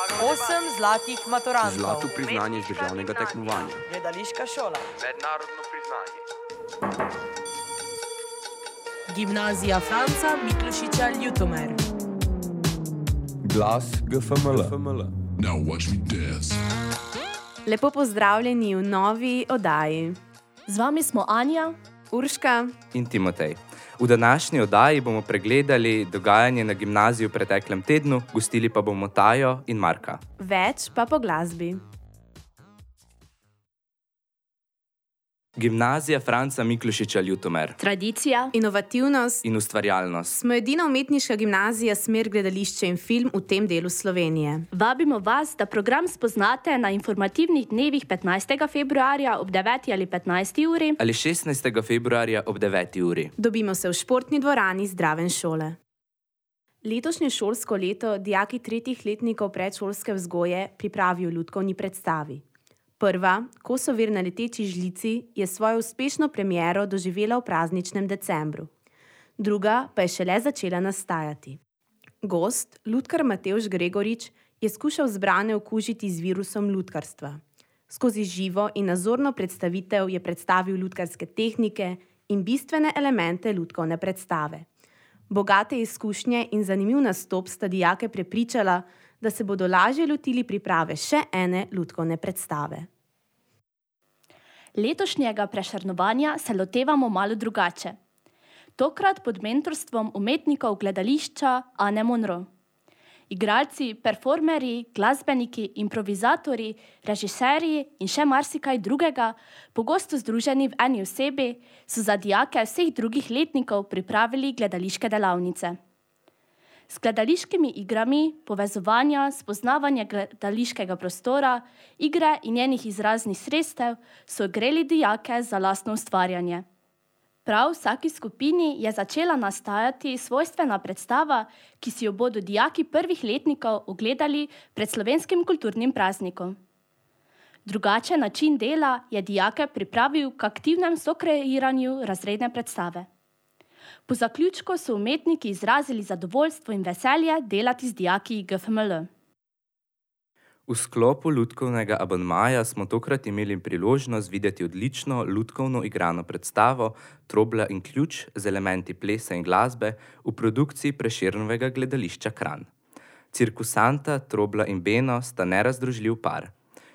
8 zlatih maturantov. Zlato priznanje z državnega tekmovanja. Gledališka šola. Mednarodno priznanje. Gimnazija Franca Miklošiča Ljutomer. Glas GFML. Now watch me dance. Lepo pozdravljeni v novi oddaji. Z vami smo Anja, Urška in Timotej. V današnji oddaji bomo pregledali dogajanje na gimnaziji v preteklem tednu, gostili pa bomo Tajo in Marka. Več pa po glasbi. Gimnazija Franca Miklošiča Ljutomer. tradicija, Inovativnost. In ustvarjalnost. Smo edina umetniška gimnazija smer gledališče in film v tem delu Slovenije. vabimo vas, da program spoznate na informativnih dnevih 15. februarja ob 9. ali 15. uri Ali 16. februarja ob 9. uri. Dobimo se v športni dvorani Zdraven šole. Letošnje šolsko leto dijaki tretjih letnikov predšolske vzgoje pripravijo lutkovni predstavi. Prva, Kosovir na leteči žlici, je svojo uspešno premiero doživela v prazničnem decembru. Druga pa je šele začela nastajati. Gost, lutkar Matevž Gregorič, je skušal zbrane okužiti z virusom lutkarstva. Skozi živo in nazorno predstavitev je predstavil lutkarske tehnike in bistvene elemente lutkovne predstave. Bogate izkušnje in zanimiv nastop sta dijake prepričala, da se bodo lažje lotili priprave še ene lutkovne predstave. letošnjega prešernovanja se lotevamo malo drugače. Tokrat pod mentorstvom umetnikov gledališča Ane Monro. Igralci, performerji, glasbeniki, improvizatorji, režiserji in še marsikaj drugega, pogosto združeni v eni osebi, so za dijake vseh drugih letnikov pripravili gledališke delavnice. S gledališkimi igrami, povezovanja, spoznavanja gledališkega prostora, igre in njenih izraznih sredstev so ogreli dijake za lastno ustvarjanje. Prav vsaki skupini je začela nastajati svojstvena predstava, ki si jo bodo dijaki prvih letnikov ogledali pred slovenskim kulturnim praznikom. Drugačen način dela je dijake pripravil k aktivnem sokreiranju razredne predstave. Po zaključku so umetniki izrazili zadovoljstvo in veselje delati z dijaki GFML. V sklopu lutkovnega abonmaja smo tokrat imeli priložnost videti odlično lutkovno igrano predstavo Trobla in ključ z elementi plesa in glasbe v produkciji Prešernovega gledališča Kranj. Cirkusanta Trobla in Beno sta nerazdružljiv par.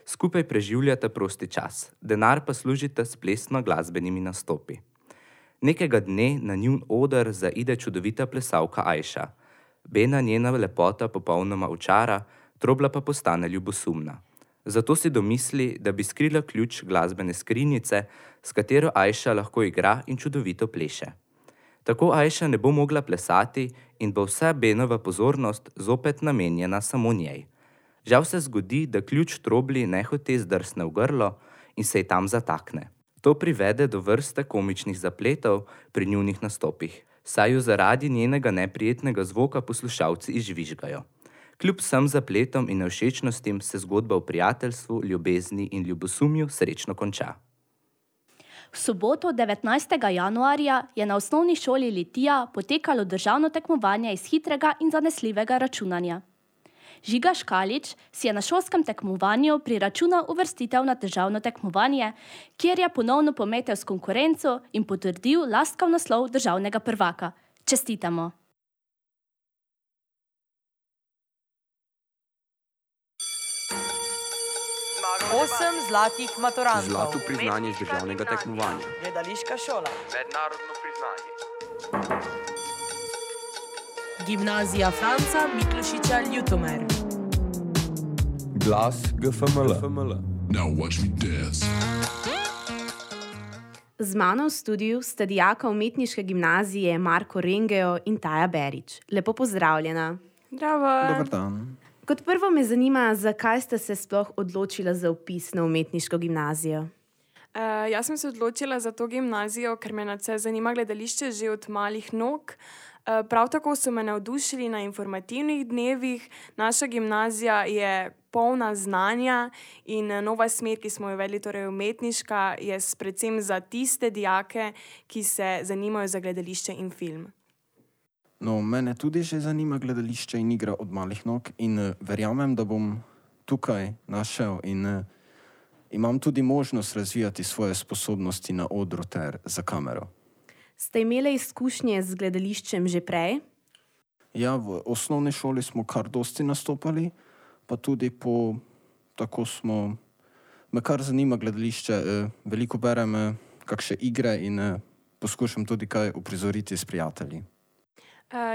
Skupaj preživljata prosti čas, denar pa služita s plesno-glasbenimi nastopi. Nekega dne na njun oder zaide čudovita plesalka Ajša. Bena njena lepota popolnoma očara, Trobla pa postane ljubosumna. Zato si domisli, da bi skrila ključ glasbene skrinjice, s katero Ajša lahko igra in čudovito pleše. Tako Ajša ne bo mogla plesati in bo vsa Benova pozornost zopet namenjena samo njej. Žal se zgodi, da ključ Trobli nehote zdrsne v grlo in se ji tam zatakne. To privede do vrste komičnih zapletov pri njunih nastopih, saj ju zaradi njenega neprijetnega zvoka poslušalci izžvižgajo. Kljub vsem zapletom in nevšečnostim se zgodba o prijateljstvu, ljubezni in ljubosumju srečno konča. V soboto 19. januarja je na osnovni šoli Litija potekalo državno tekmovanje iz hitrega in zanesljivega računanja. Žiga Škalič si je na šolskem tekmovanju priračunal uvrstitev na državno tekmovanje, kjer je ponovno pometel s konkurenco in potrdil laskav naslov državnega prvaka. Čestitamo! Osem zlatih maturantov. Zlato priznanje z državnega tekmovanja. Gledališka šola. Mednarodno priznanje. Gimnazija Franca Miklošiča Ljutomer. Glas GFML. Now watch me dance. Z mano v studiu sta dijaka umetniške gimnazije Marko Rengeo in Taja Berič. Lepo pozdravljena. Dober dan. Kot prvo me zanima, zakaj ste se sploh odločila za vpis na umetniško gimnazijo? Jaz sem se odločila za to gimnazijo, ker me nadvse zanima gledališče že od malih nog. Prav tako so me navdušili na informativnih dnevih. Naša gimnazija je polna znanja in nova smer, ki smo jo uvedli, torej umetniška, je predvsem za tiste dijake, ki se zanimajo za gledališče in film. No, mene tudi že zanima gledališče in igra od malih nog in verjamem, da bom tukaj našel in imam tudi možnost razvijati svoje sposobnosti na odru ter za kamero. Ste imeli izkušnje z gledališčem že prej? Ja, v osnovni šoli smo kar dosti nastopali, pa tudi me kar zanima gledališče, veliko berem kakšne igre in poskušam tudi kaj uprizoriti s prijatelji.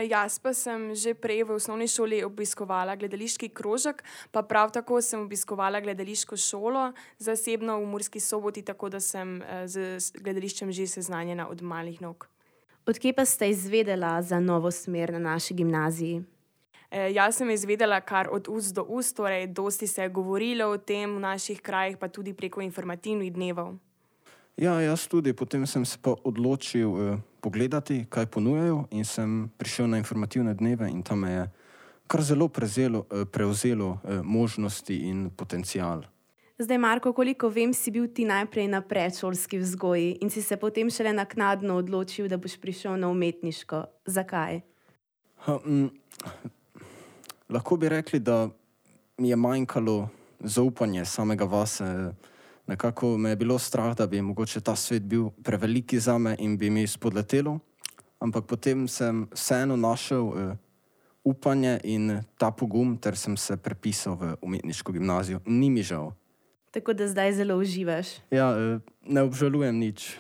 Jaz pa sem že prej v osnovni šoli obiskovala gledališki krožek, pa prav tako sem obiskovala gledališko šolo, zasebno v Murski Soboti, tako da sem z gledališčem že seznanjena od malih nog. Odkje pa ste izvedela za novo smer na naši gimnaziji? Jaz sem izvedela kar od ust do ust, torej dosti se je govorilo o tem v naših krajih, pa tudi preko informativnih dnevov. Ja, jaz tudi. Potem sem se pa odločil pogledati, kaj ponujajo in sem prišel na informativne dneve in tam me je kar zelo prevzelo možnosti in potencial. Zdaj, Marko, koliko vem, si bil ti najprej na predšolski vzgoji in si se potem šele naknadno odločil, da boš prišel na umetniško. Zakaj? Lahko bi rekli, da mi je manjkalo zaupanje samega vase. Nekako me je bilo strah, da bi mogoče ta svet bil preveliki zame in bi mi spodletelo, ampak potem sem vseeno našel upanje in ta pogum, ter sem se prepisal v umetniško gimnazijo. Ni mi žal. Tako da zdaj zelo uživaš. Ja, ne obžalujem nič.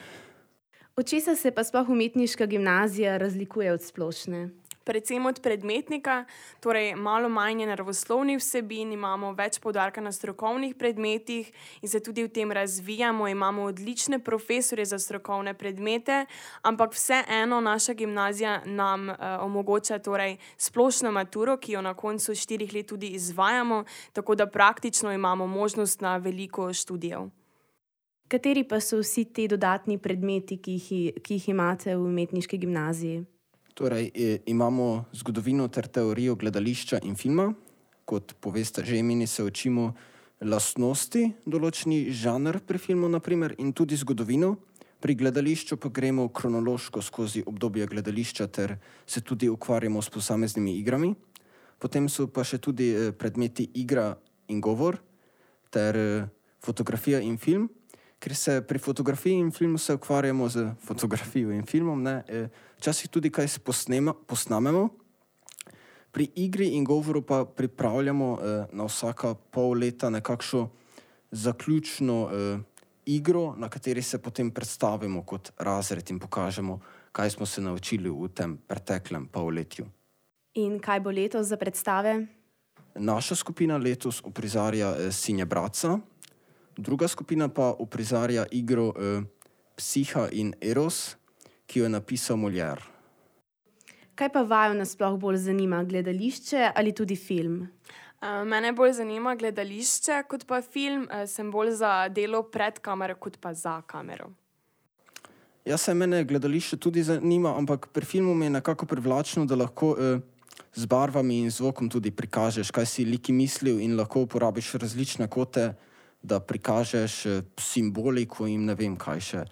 Od česa se pa sploh umetniška gimnazija razlikuje od splošne? Predvsem od predmetnika, torej malo manj je naravoslovnih vsebin, imamo več poudarka na strokovnih predmetih in se tudi v tem razvijamo, imamo odlične profesorje za strokovne predmete, ampak vseeno naša gimnazija nam omogoča torej splošno maturo, ki jo na koncu 4 let tudi izvajamo, tako da praktično imamo možnost na veliko študijev. Kateri pa so vsi ti dodatni predmeti, ki jih imate v umetniški gimnaziji? Torej, imamo zgodovino ter teorijo gledališča in filma. Kot poveste že imeni, se učimo lastnosti, določeni žanr pri filmu, naprimer, in tudi zgodovino. Pri gledališču pa gremo kronološko skozi obdobje gledališča ter se tudi ukvarjamo s posameznimi igrami. Potem so pa še tudi predmeti igra in govor ter fotografija in film. Ker se pri fotografiji in filmu se ukvarjamo z fotografijo in filmom, včasih tudi kaj se posnamemo. Pri igri in govoru pa pripravljamo na vsaka pol leta nekakšno zaključno igro, na kateri se potem predstavimo kot razred in pokažemo, kaj smo se naučili v tem preteklem polletju. In kaj bo letos za predstave? Naša skupina letos uprizarja Sinje Bratca, druga skupina pa uprizarja igro Psiha in Eros, ki jo je napisal Molière. Kaj pa vaju nasploh bolj zanima, gledališče ali tudi film? Mene bolj zanima gledališče kot pa film, sem bolj za delo pred kamero kot pa za kamero. Ja, se mene gledališče tudi zanima, ampak pri filmu mi je nekako privlačno, da lahko z barvami in zvokom tudi prikažeš, kaj si liki mislil in lahko uporabiš različne kote, da prikažeš simboliko in ne vem kaj še.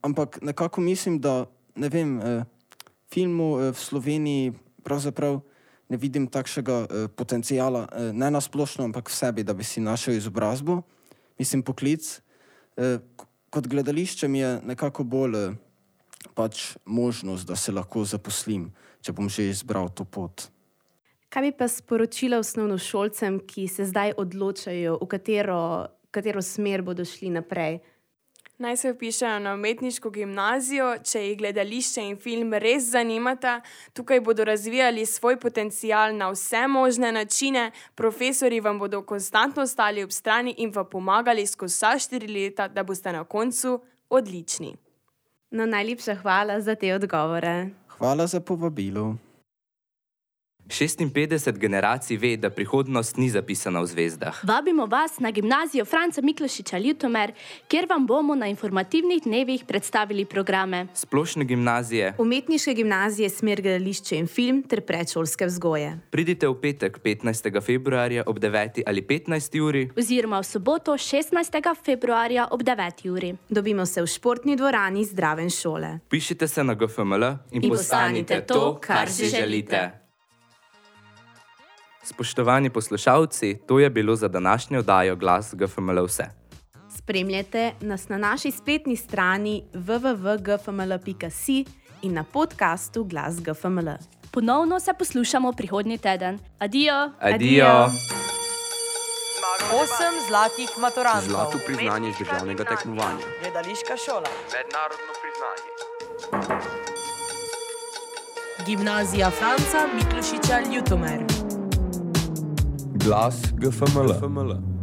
Ampak nekako mislim, da filmu v Sloveniji pravzaprav ne vidim takšnega potencijala, ne na splošno, ampak v sebi, da bi si našel izobrazbo. Mislim, poklic. Kot gledališče mi je nekako bolj možnost, da se lahko zaposlim, če bom že izbral to pot. Kaj bi pa sporočila osnovnošolcem, ki se zdaj odločajo, v katero smer bodo šli naprej? Naj se vpišejo na umetniško gimnazijo, če jih gledališče in film res zanimata. Tukaj bodo razvijali svoj potencial na vse možne načine, profesorji vam bodo konstantno stali ob strani in vam pomagali skozi vsa 4 leta, da boste na koncu odlični. No, najlepša hvala za te odgovore. Hvala za povabilo. 56 generacij ve, da prihodnost ni zapisana v zvezdah. Vabimo vas na gimnazijo Franca Miklošiča Ljutomer, kjer vam bomo na informativnih dnevih predstavili programe Splošne gimnazije, Umetniške gimnazije smer gledališče in film ter predšolske vzgoje. Pridite v petek 15. februarja ob 9. ali 15. uri oziroma v soboto 16. februarja ob 9. uri. Dobimo se v športni dvorani Zdraven šole. Pišite se na GFML in postanite to, kar si želite. Spoštovani poslušalci, to je bilo za današnjo oddajo Glas GFML vse. Spremljajte nas na naši spletni strani www.gfml.si in na podkastu Glas GFML. Ponovno se poslušamo prihodnji teden. Adijo! Adijo! 8 zlatih maturantov. Zlato priznanje iz državnega tekmovanja. Gledališka šola. Mednarodno priznanje. Gimnazija Franca Miklošiča Ljutomer. Glas GFML.